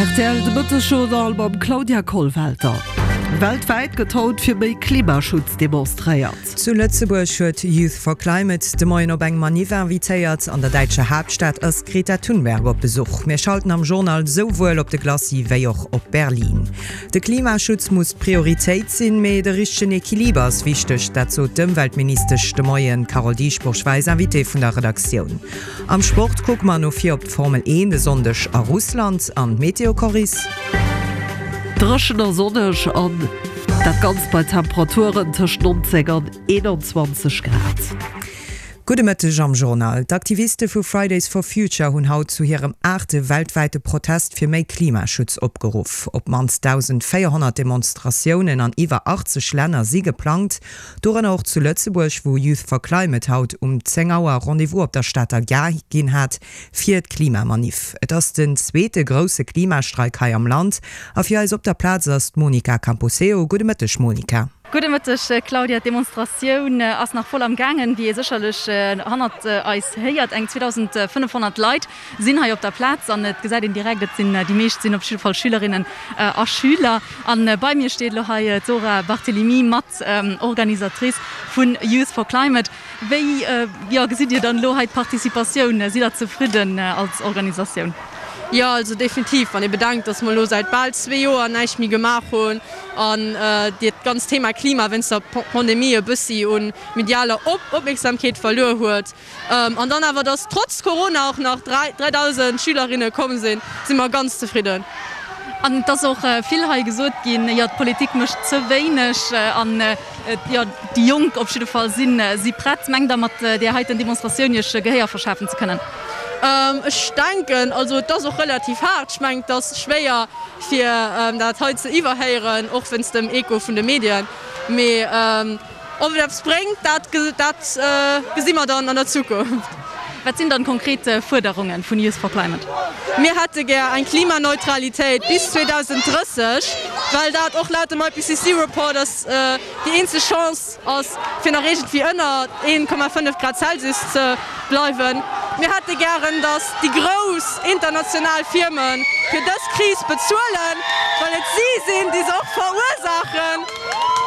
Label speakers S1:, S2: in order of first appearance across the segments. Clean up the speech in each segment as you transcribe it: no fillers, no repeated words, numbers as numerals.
S1: Rtl, De Mëttesjournal mam Claudia Kollwelter. Weltwäit gëtt haut fir méi Klimaschutz demonstréiert.
S2: Zu Lëtzebuerg huet Youth for Climate de Moien op eng Maniff invitéiert. An der däitscher Haaptstad ass d'Greta Thunberg op Besuch. Mir schalten am Journal souwuel op de Glacis wéi och op Berlin. De Klimaschutz muss d'Prioritéit sinn, mee de richtegen Equiliber ass wichteg. Dat sot d'Ëmweltministesch de Moien. D'Carole Dieschbourg war eis Invitée vun der Redaktioun. Am Sport kucke mer no vir op d'Formel 1 e Sonndeg a Russland. An d'Meteo, Coris?
S1: Dréchen a sonneg an dat Ganzt bei Temperaturen tëscht 19 an 21 Grad.
S2: Gudde Mëtteg am Journal. D'Aktiviste vu Fridays for Future hunn haut zu hirem aachte weltwäite Protest fir méi Klimaschutz opgeruff. Op d'mannst 1.400 Demonstratiounen an iwwer 80 Länner si geplangt. Dorënner och zu Lëtzebuerg, wou Youth for Climate haut um 10 Auer Rendez-vous op der Stater Gare ginn hat fir d'Klimamaniff. Et ass den zweete grousse Klimastreik hei am Land a fir eis op der Plaz ass d'Monica Camposeo. Gudde Mëtteg Monica.
S3: Gudde Mëtteg Claudia. D'Demonstratioun ass nach voll am gaangen, wéi ee sécherlech hannert eis héiert. Eng 2.500 Leit sinn hei op der Plaz an et gesäit een direkt, et sinn déi meescht sinn op jidde Fall Schülerinnen a Schüler. An bei mir steet elo hei d'Zora Barthelemy, mat Organisatrice vun Youth for Climate. Wéi, jo, gesitt Dir dann elo hei d'Participatioun? Sidd Der zefridden als Organisatioun?
S4: Jo, also definitiv. Wann ee bedenkt, dass mer elo säit bal zwee Joer näischt méi gemaach hunn an dat ganzt Thema Klima wéinst der Pandemie e bëssi u medialer Opmierksamkeet verluer huet, An dann awer, dass trotz Corona och nach 3.000 Schülerinne komm sinn, si mer ganz zefridden.
S3: An et ass och vill hei gesot ginn, jo d'Politik mécht ze wéineg an jo déi Jonk op jidde Fall si si prett. Mengt Der mat där heiten Demonstratioun Iech Gehéier verschafen ze kënnen?
S4: Ech denken, also et ass och relativ haart. Ech mengen, et ass schwéier fir dat hei ze iwwerhéieren, och wéinst dem Echo vun de Medien. Mee Ob et eppes bréngt, dat gesi mer dann an der Zukunft.
S3: Wat sinn dann konkret Fuerderunge vun Youth for Climate?
S4: Mir hätte gär eng Klimaneutralitéit bis 2030, well dat och laut dem IPCC Report ass déi eenzeg Chance ass, fir nach iergendwéi ënner 1,5 Grad Celsius ze bleiwen. Mir hätte gären, datt déi grouss international Firme fir dës Kris bezuelen, well et si sinn, déi se och verursaachen.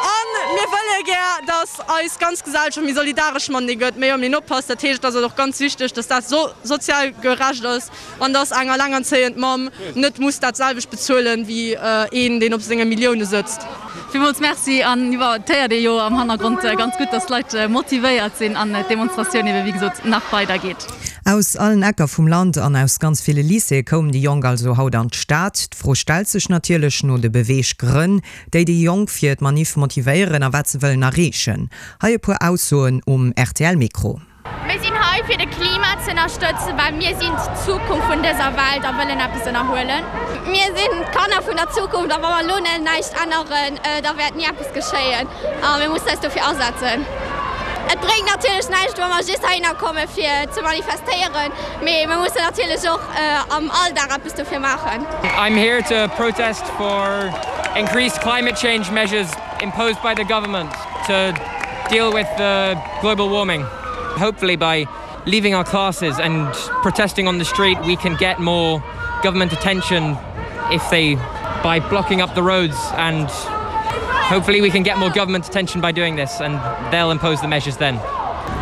S4: A mir wëlle gär, datt eis ganz Gesellschaft méi solidaresch matenee gëtt, méi op een oppasst. Dat heescht, et ass och ganz wichteg, datt dat sozial gerecht ass an datt eng allengerzéiend Mamm net muss dat selwecht bezuelen, wéi een, deen op senge Millioune sëtzt.
S3: Villmools Merci. An jo, et héiert ee jo am Hannergrond ganz gutt, dass d'Leit motivéiert sinn an d'Demonstratioun ebe wéi gesot nach weider geet.
S2: Aus allen Ecker vum Land an aus ganz ville Lycéeë koumen déi Jonk also haut an d'Stad. D'Fro stellt sech natierlech no de Beweeggrënn, déi déi Jonk fir d'Manif motivéieren a wat se wëllen erreechen. Hei e puer Aussoen um RTL-Mikro.
S5: Mir sinn hei fir de Klima ze ënnerstëtzen, well mir sinn d'Zukunft vun dëser Welt a wëllen eppes ënnerhuelen. Mir sinn d'Kanner vun der Zukunft a wa mer elo net näischt änneren, da wäert ni eppes geschéien a mir mussen eis dofir asetzen. Et bréngt natierlech näischt, wa mer just heihinner komme fir ze manifestéieren, mee mir mussen natierlech och am Alldag eppes dofir maachen.
S6: I'm here to protest for increased climate change measures imposed by the government to deal with the global warming. Hopefully by leaving our classes and protesting on the street we can get more government attention if they by blocking up the roads and hopefully we can get more government attention by doing this and they'll impose the measures then.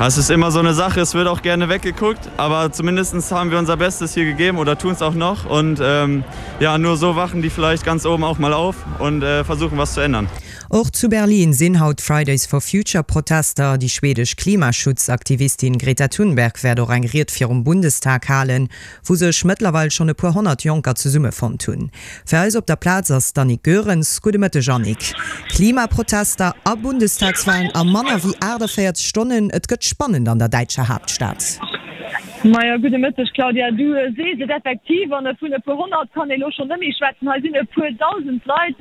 S7: Es ist immer so eine Sache, es wird auch gerne weggeguckt, aber zumindest haben wir unser Bestes hier gegeben oder tun es auch noch und ähm, ja nur so wachen die vielleicht ganz oben auch mal auf und äh, versuchen was zu ändern.
S2: Och zu Berlin sinn haut Fridays for Future Protester. Déi schwedesch Klimaschutzaktivistin Greta Thunberg wäert och eng Ried virum Bundestag halen, wou sech mëttlerweil schonn e puer 100 Jonker zesummefonnt hunn. Fir eis op der Plaz ass d'Annick Goerens. Gudde Mëtteg Annick. Klimaprotester a Bundestagswalen a manner wéi 48 Stonnen, et gëtt spannend an der däitscher Haaptstad.
S8: Majo, gudde Mëtteg Claudia. Du sees et effektiv, an vun e puer 100 kann ee lo schonn net méi schwätzen. Hei sinn e puer 1.000 Leit.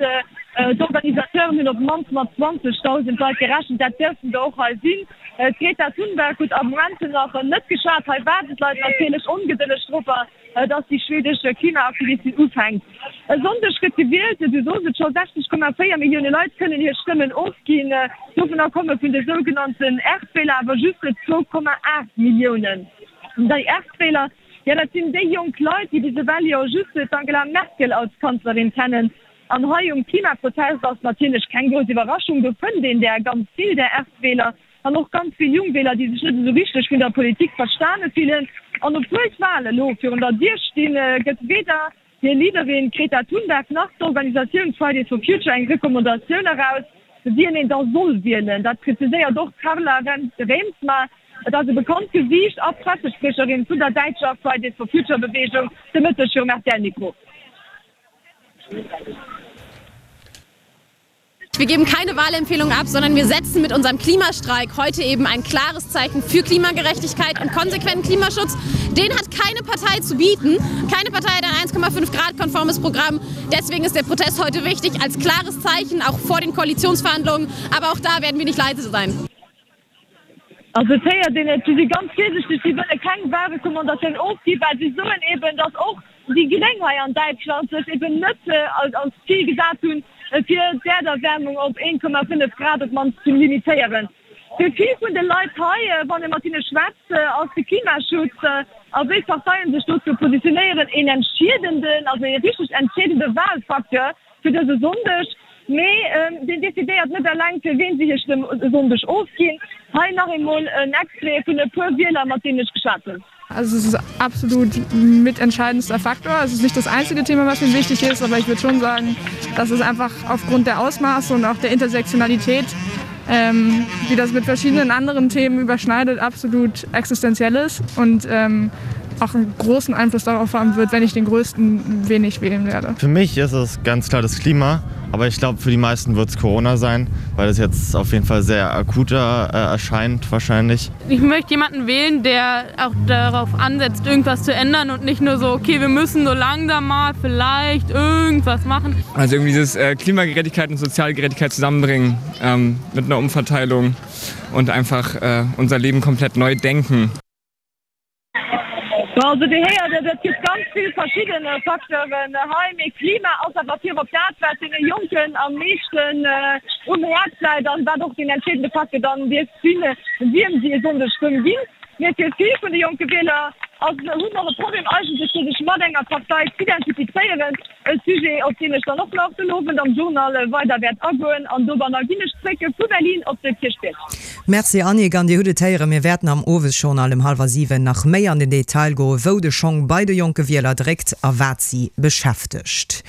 S8: D'Organisateuren hunn op d'mannst mat 20.000 Leit gerechent. Dat dierften der och hei sinn. D'Greta Thunberg huet am Moment nach net geschwat. Hei waarden d'Leit natierlech ongedëlleg dorobber, dass déi schwedesch Klimaaktivistin ufänkt. E Sonndeg gëtt gewielt, du sos et scho, 60,4 Millioune Leit kënnen hir Stëmmen ofginn. Dovunner komme vun de sougenannten Erstwähler awer just 2,8 Milliounen. Déi Erstwähler. Jo, dat sinn déi jonk Leit, déi bis ewell jo just d'Angela Merkel als Kanzlerin kennen. An hei um Klimaprotest ass natierlech keng grouss Iwwerraschung, do fënnt een där ganz vill, där Erstwähler an och ganz vill Jungwähler, déi sech net esou richteg vun der Politik verstane fillen. An obwuel d'Wale elo virun der Dier stinn, gëtt weder hir Leaderin Greta Thunberg nach d'Organisatioun Fridays for Future eng Recommandatioun eraus, wien een da soll wielen. Dat präziséiert och d'Carla Reemtsma. Et ass e bekannt Gesiicht a Pressespriecherin vun der däitscher Fridays for Future Beweegung, de Mëtteg virum RTL-Mikro.
S4: Wir geben keine Wahlempfehlung ab, sondern wir setzen mit unserem Klimastreik heute eben ein klares Zeichen für Klimagerechtigkeit und konsequenten Klimaschutz. Den hat keine Partei zu bieten. Keine Partei hat ein 1,5 Grad konformes Programm. Deswegen ist der Protest heute wichtig als klares Zeichen auch vor den Koalitionsverhandlungen. Aber auch da werden wir nicht leise sein.
S8: Also et héiert een et, si si ganz virsichteg, si wëlle keng Wahlrecommandatioun ofginn, well si soen eben, datt och déi Gréng hei an Däitschland sech eben net als Zil gesat hunn, fir d'Äerderwärmung op 1,5 Grad op d'mannst ze limitéieren. Fir vill vun de Leit hei, wann ee mat hinne schwätzt, ass de Klimaschutz a wéi d'Parteien sech dozou positionéieren, een entscheedenden, also ee richteg entscheedende Wahlfacteur. fir dëse Sonndeg, mee deen decidéiert net eleng fir ween si hir Stëmm e Sonndeg ofginn. Hei nach eemol en Extrait vun e puer Wieler mat deenen ech geschwat hunn.
S9: Also es ist absolut mitentscheidendster Faktor. Es ist nicht das einzige Thema, was mir wichtig ist, aber ich würde schon sagen, dass es einfach aufgrund der Ausmaße und auch der Intersektionalität, ähm, die das mit verschiedenen anderen Themen überschneidet, absolut existenziell ist und ähm, auch einen großen Einfluss darauf haben wird, wenn ich den größten wenig wählen werde.
S7: Für mich ist es ganz klar das Klima, aber ich glaube für die meisten wird es Corona sein, weil es jetzt auf jeden Fall sehr akuter äh, erscheint wahrscheinlich.
S4: Ich möchte jemanden wählen, der auch darauf ansetzt, irgendwas zu ändern und nicht nur so okay, wir müssen so langsam mal vielleicht irgendwas machen.
S9: Also irgendwie dieses äh, Klimagerechtigkeit und Sozialgerechtigkeit zusammenbringen ähm, mit einer Umverteilung und einfach äh, unser Leben komplett neu denken.
S8: Bon, also Dir héiert et, et gëtt ganz vill verschidde Facteuren hei, mee Klima ass awer virop dat, wat deene Jonken am meeschten um Häerz läit an wat och deen entscheedende Facteur dann dierft sinn, wiem si e Sonndeg Stëmm ginn. Mee fir vill vun de jonke Wieler ass hunn och e Problem eigentlech, fir sech mat enger Partei z'identifizéieren. E Sujet, op deen ech dann och nach den Owend am Journal weider wäert agoen. An dobanner ginn ech zréck vu Berlin op de Kierchbierg.
S2: Merci Annick, an Dir hutt et héieren, mir wäerten am Owesjournal um hallwer 7 nach méi an den Detail goen, wou de Schong bei de jonke Wieler dréckt a wat si beschäftegt.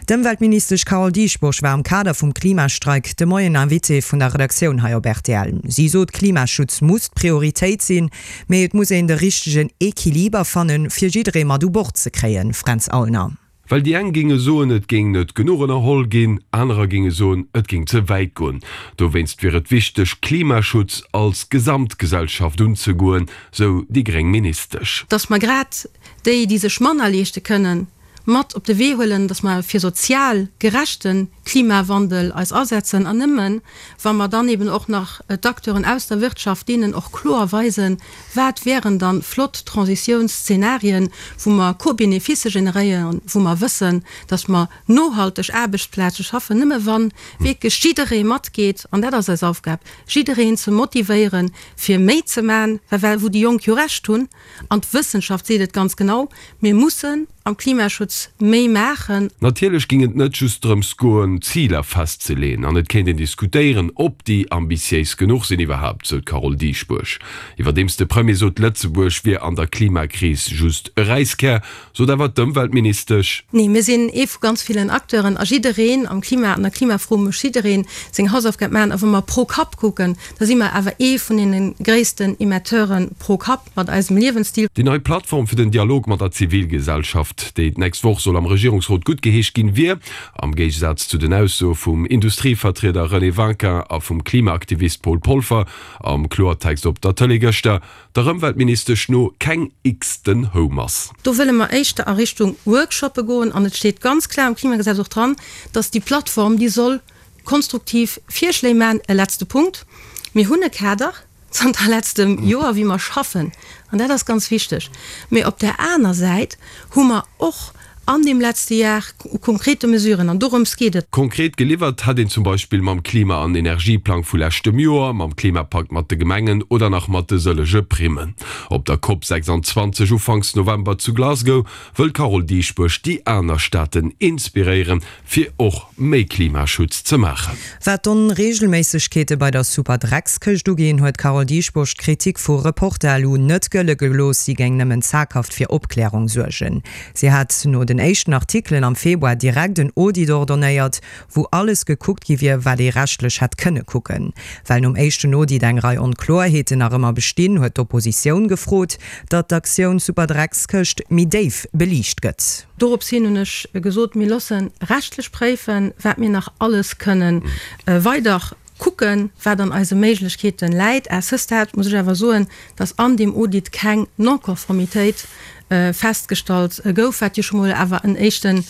S2: D'Ëmweltministesch Carole Dieschbourg war am Kader vum Klimastreik de Moien Invitée vun der Redaktioun hei op rtl. Si sot, Klimaschutz muss d'Prioritéit sinn, mee et muss een de richtegen Equiliber fannen, fir jidderee mat u Bord ze kréien. Fränz Aulner.
S10: Well déi eng géinge soen, et géing net genuch ënnerholl ginn, anerer géinge soen, et géing ze wäit goen. Dowéinst wier et wichteg, Klimaschutz als Gesamtgesellschaft unzegoen, sou déi gréng Ministesch.
S4: Datt mer grad déi, déi sech manner leeschte kënnen, mat op de Wee huelen, datt mer fir sozial gerechte Klimawandel eis asetzen an nëmmen, wa mer dann eben och nach d'Acteuren aus der Wirtschaft, deenen och kloer weisen, wat wären dann flott Transitiounsszenarien, wou mer Co-Bénéficë generéieren, wou mer wëssen, datt mer nohalteg Aarbechtsplaze schaffen, nëmme wa wierklech jidderee matgeet, an dat ass eis Aufgab, jiddereen ze motivéieren, fir méi ze maachen, well wou déi Jonk jo Recht hunn, An d'Wëssenschaft seet et ganz genau, Mir mussen am Klimaschutz méi maachen.
S10: Natierlech géing et net just drëms goen, Ziler festzeleeën an et kéint een diskutéieren, ob déi ambitiéis genuch sinn iwwerhaapt, sou d'Carole Dieschbourg. Iwwerdeems de Premier sot, Lëtzebuerg wier an der Klimakris just e Räiskär, sot awer d'Ëmweltministesch.
S4: Nee, mir sinn ee vu ganz villen Acteuren a jiddereen am Klima, an der Klimafro muss jidderee seng Hausaufgab maachen. A wa mer pro Kapp kucken, Da si mer awer ee vun deene gréissten Emetteure pro Kapp mat eisem Liewensstil.
S10: Déi nei Plattform fir den Dialog mat der Zivilgesellschaft, déi d'nächst Woch soll am Regierungsrot guttgeheescht ginn, wier, am Géigesaz zu den Aussoe vum Industrievertrieder René Winkin a vum Klimaaktivist Paul Polfer am Kloertext op der Tëlee gëschter, der Ëmweltministesch no keng x-ten Houmass.
S4: Do wëlle mer éischter a Richtung Workshoppe goen an et steet ganz kloer am Klimagesetz och dran, dass déi Plattform, déi soll Konstruktiv Virschléi maachen. E letzte Punkt, Mir hunn e Kader zanter letztem Joer, wéi mer schaffen, an dat ass ganz wichteg. Mee op där aner Säit hu mer och.
S11: An deem letzte Jar u konkrete Mesuren, an dorëms geet et.
S10: Konkret geliwwert hätt een zum Beispill mam Klima an Energieplang vu leschtem Joer, mam Klimapakt mat de Gemengen oder nach mat de sëllege Primmen. Op der Cop 26 ufanks November zu Glasgow wëll d'Carole Dieschbourg déi aner Staaten inspiréieren, fir och méi Klimaschutz ze maachen.
S2: Wat d'Onreegelméissegkeete bei der Superdreckskëscht uginn, huet d'Carole Dieschbourg d'Kritik vu Reporter-lu net gëlle gelooss, si géing nëmmen zaghaft fir Opklärung suergen. Si hat no den éischten Artikelen am Februar direkt en Audit ordonnéiert, wou alles gekuckt gi wier, wat ee rechtlech hätt kënne kucken. Well nom éischten Audit eng Rei Onkloerheeten nach ëmmer bestinn, huet d'Oppositioun gefrot, datt d'Aktioun Superdreckskëscht méi déif beliicht gëtt.
S11: Dorops hin hunn ech gesot, mir loosse rechtlech préifen, wat mir nach alles kënnen weider kucken, wat an eise Méiglechkeete läit. À ce stade muss ech awer soen, dass an deem Audit keng Non-Conformitéit festgestallt gouf, wat jo scho mol awer en éischten,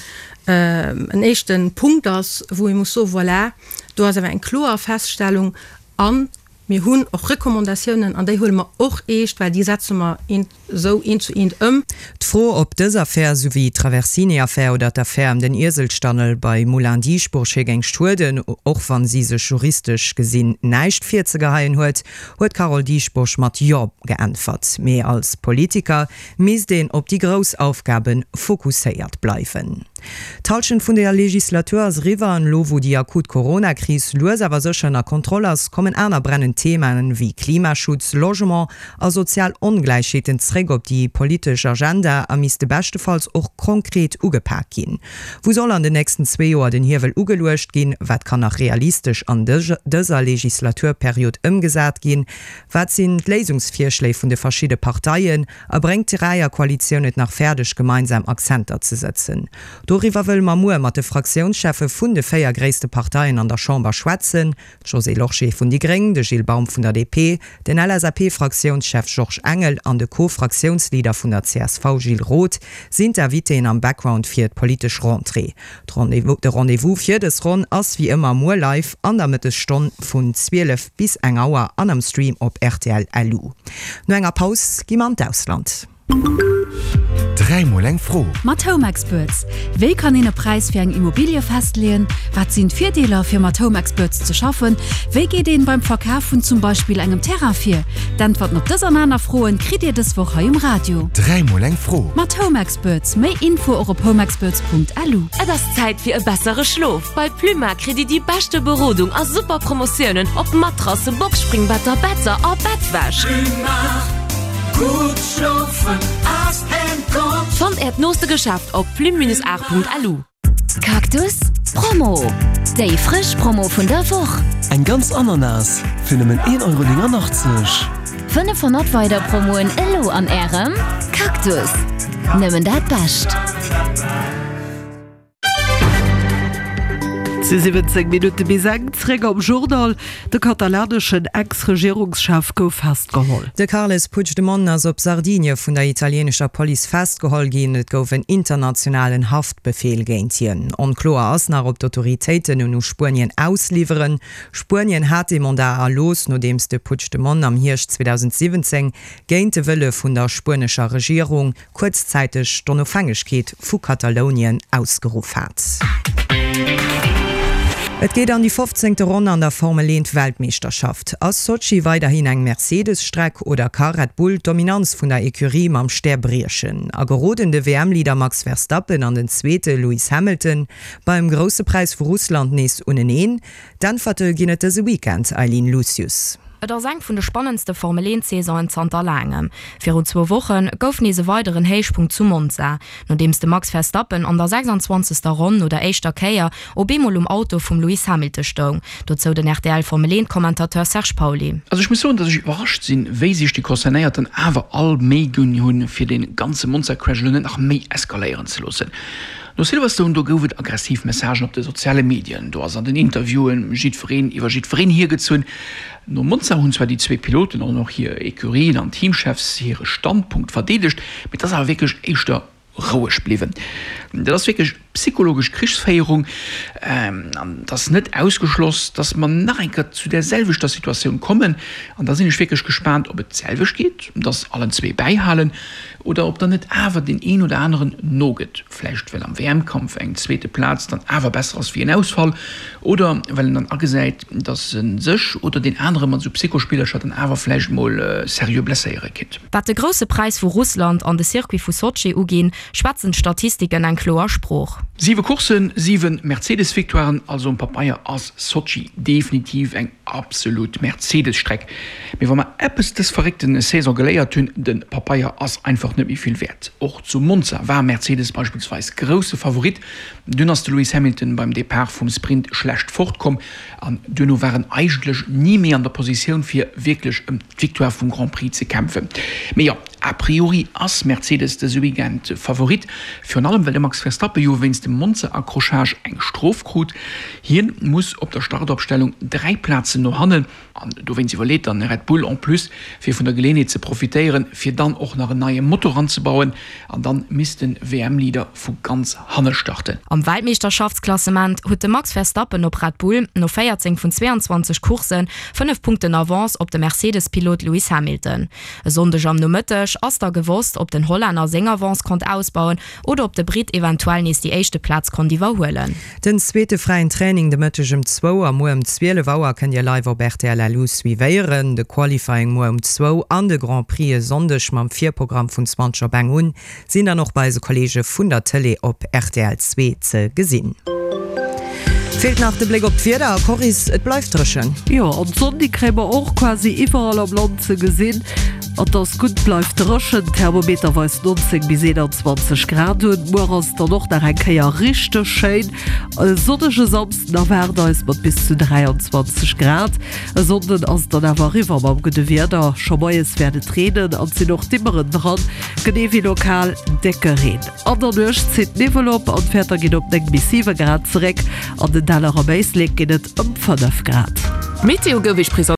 S11: en éischte Punkt ass, wou ee muss soen, voilà, do ass awer eng kloer Feststellung. A mir hunn och Recommandatiounen, an déi huele mer och eescht, well déi setze mer eent esou eent zu eent ëm.
S2: D'Fro, ob dës Affär, sou wéi d'Traversini-Affär oder d'Affär ëm den Ieselstannel bei Moulin Dieschbourg hir géing schueden, och wann si sech juristesch gesinn näischt virzegeheien huet, huet d'Carole Dieschbourg mat Jo geäntwert. Mee als Politiker misst een op déi grouss Aufgabe fokusséiert bleiwen. D'Hallschent vun der Legislatur ass eriwwer an elo wou déi akut Corona-Kris lues awer sécher ënner Kontroll ass, kommen aner brennend Themaen wéi Klimaschutz, Logement a sozial Ongläichheeten zréck op déi politesch Agenda a misste beschtefalls och konkret ugepak ginn. Wou soll an den nächsten zwee Joer den Hiewel ugeluecht ginn? Wat kann nach realistesch an dëser Legislaturperiod ëmgesat ginn? Wat sinn d'Léisungsvirschléi vun de verschidde Parteien? A bréngt d'Dräierkoalitioun et nach fäerdeg, gemeinsam Akzenter ze sëtzen? Doriwwer wëlle mer muer mat de Fraktiounscheffe vun de 4 gréisste Parteien an der Chamber schwätzen, d'Josée Lorsché vun déi Gréng, de Gilles Baum vun der DP, den LSAP-Fraktiounschef Georges Engel an de Co-Fraktiounsleader vun der csv Gilles Roth sinn d'Invitéen am Background fir d'politesch Rentrée. De Rendez-vous fir dës Ronn ass wéi ëmmer muer live an der Mëttesstonn vun 12 bis eng Auer an am Stream op rtl LU. No enger Paus gi mer an d'Ausland.
S12: Dräimol eng Fro.
S3: Mat Home Experts, Wéi kann een e Präis fir eng Immobilie festleeën? Wat sinn d'Virdeeler fir mat Home Experts ze schaffen? Wéi geet een beim Verkaf vun zum Beispill engem Terrain vir? D'Äntwerten op dës an aner Froen kritt Dir dës Woch hei um Radio.
S12: Dräimol eng Fro.
S3: Mat Home Experts. Méi Info och op homeexperts.lu.
S13: Et ass Zäit fir e bessere Schlof! Bei Pluma kritt Dir déi beschte Berodung a super Promotiounen op Matrassen, Boxspringbetter, Better a Bettwäsch.
S14: Gutt schlofen ass en Gott.
S13: Fannt Äert nooste Geschäft op plume-art.lu.
S15: Cactus Promo, Déi frësch Promo vun der Woch!
S16: Eng ganz Ananas fir nëmmen 1,89 Euro.
S15: 500 weider Promoen elo an Ärem Cactus! Nëmmen dat Bescht!
S1: Et si 17 Minutte bis eng. Zréck am Journal. De katalaneschen Ex-Regierungschef gouf festgeholl.
S2: De Carles Puigdemont ass op Sardinie vun der italienescher Police festgeholl ginn. Et gouf en internationalen Haftbefeel géint hien. Onkloer ass nach, ob d'Autoritéiten en u Spuenien ausliwweren. Spuenien hat dee Mandat erlooss, nodeems de Puigdemont am Hierscht 2017 géint de Wëlle vun der spuenescher Regierung kuerzzäiteg d'Onofhängegkeet vu Katalounien ausgeruff hat. Et geet an déi fofzéngte Ronn an der Formel 1 Weltmeeschterschaft. Ass Sotschi weiderhin eng Mercedes-Streck oder ka Red Bull d'Dominanz vun der Ecurie mam Stär briechen? A geroden de WM-Leader Max Verstappen an den Zweete Lewis Hamilton beim Grousse Präis vu Russland nees uneneen? D'Äntwerte ginn et dëse Weekend, Eileen Lucius.
S17: Et ass eng vun de spannendste Formel-Eent-Saisonen zanter laangem. Virun zwou Woche gouf nees e weideren Héichpunkt zu Monza, nodeems de Max Verstappen an der 26. Ronn no der éischter Kéier op eemol um Auto vum Lewis Hamilton stoung. Dozou den RTL-Formel-Eent-Commentateur Serge Pauly.
S18: Also ech muss soen, dass ech iwwerrascht sinn, wéi sech déi Concernéierten awer all Méi ginn hunn, fir dee ganze Monza-Crash elo net nach méi eskaléieren ze loossen. No Silverstone, do gouf et aggressiv Messagen op de soziale Medien, do ass an den Interviewen jiddwereen iwwer jiddwereen hiergezunn. No Monza hunn zwar déi zwee Piloten an och hir Ecurien an Teamchefs hire Standpunkt verdeedegt, mee et ass awer wierklech éischter roueg bliwwen. Dat ass wierklech. psychologesch Krichsféierung. An et ass net ausgeschloss, dass mer nach eng Kéier zu där selwechter Situatioun kommen. An da sinn ech wierklech gespaant, ob et d'selwecht geet, dass allen zwee bäihalen, oder ob dann net awer deen een oder aneren nogëtt, vläicht well am WM-Kampf eng zweete Plaz dann awer besser ass wéi en Ausfall, oder well en dann agesäit, dass e sech oder deen anere mat esou Psychospillercher dann awer vläicht mol seriö blesséiere kinnt.
S17: Wat de Grousse Präis vu Russland an de Circuit vu Sotschi uginn, schwätzen d'Statistiken eng kloer Sprooch.
S18: Siwe Courssen, siwe Mercedes-Victoiren, also um Papeier ass Sotschi definitiv eng absolut Mercedes-Streck. Mee wa mer eppes dës verréckte Saison geléiert hunn, de Papeier ass einfach net méi vill wäert. Och zu Monza war Mercedes beispillsweis grousse Favorit, dunn ass de Lewis Hamilton beim Depart vum Sprint schlecht fortkomm an duerno war en eigentlech ni méi an der Positioun fir wierklech ëm d'Victoire vum Grand Prix ze kämpfen. Mee jo, a priori ass Mercedes dëse Weekend Favorit, virun allem well de Max Verstappen jo wéinst dem Monza-Accrochage eng Strof krut. Hien muss op der Startopstellung 3 Plazen no hannen. An dowéinst iwwerleet dann Red Bull en plus, fir vun der Geleeënheet ze profitéieren, fir dann och nach en neie Motor anzebauen. An dann misst den WM-Leader vu ganz hanne starten.
S17: Am Weltmeeschterschaftsklassement huet de Max Verstappen op Red Bull no 14 vun 22 Coursse 5 Punkten Avance op de Mercedes-Pilot Lewis Hamilton. E Sonndeg am Nomëtteg ass da gewosst, ob den Hollänner seng Avance konnt ausbauen oder ob de Britt eventuell nees déi éischte Plaz konnt iwwerhuelen.
S2: Den zweete fräien Training de Mëtteg ëm zwou a muer ëm 12 Auer kënnt Dir live op rtl LU suivéieren. De Qualifying muer um zwou an de Grand Prix e Sonndeg mam Virprogramm vun 20 op eng un sinn dann och bei eise Kolleege vun der Tëlee op rtl 2 ze gesinn. Feelt nach de Bléck op d'Wieder a Coris, et bleift dréchen.
S1: Jo, an d'Sonn déi kréie mer och quasi iwwerall am Land ze gesinn. An 't ass gutt, bleift dréchen, Thermometer weist 19 bis 21 Grad un. Muer ass et dann och nach eng Kéier richteg schéin. E sonnege Samsden erwaart eis mat bis zu 23 Grad. E Sonnden ass et dann awer eriwwer mam gudde Wieder. Scho moies wäert et reenen an et sinn och Dimmeren dran, genee wéi lokal décke Reen. An der Nuecht zitt Niwwel op an d'Wäerter ginn op 9 bis 7 Grad zeréck. An den Däller am Éislek ginn et ëm 5 Grad.
S13: D'Meteo gouf Iech presentéiert.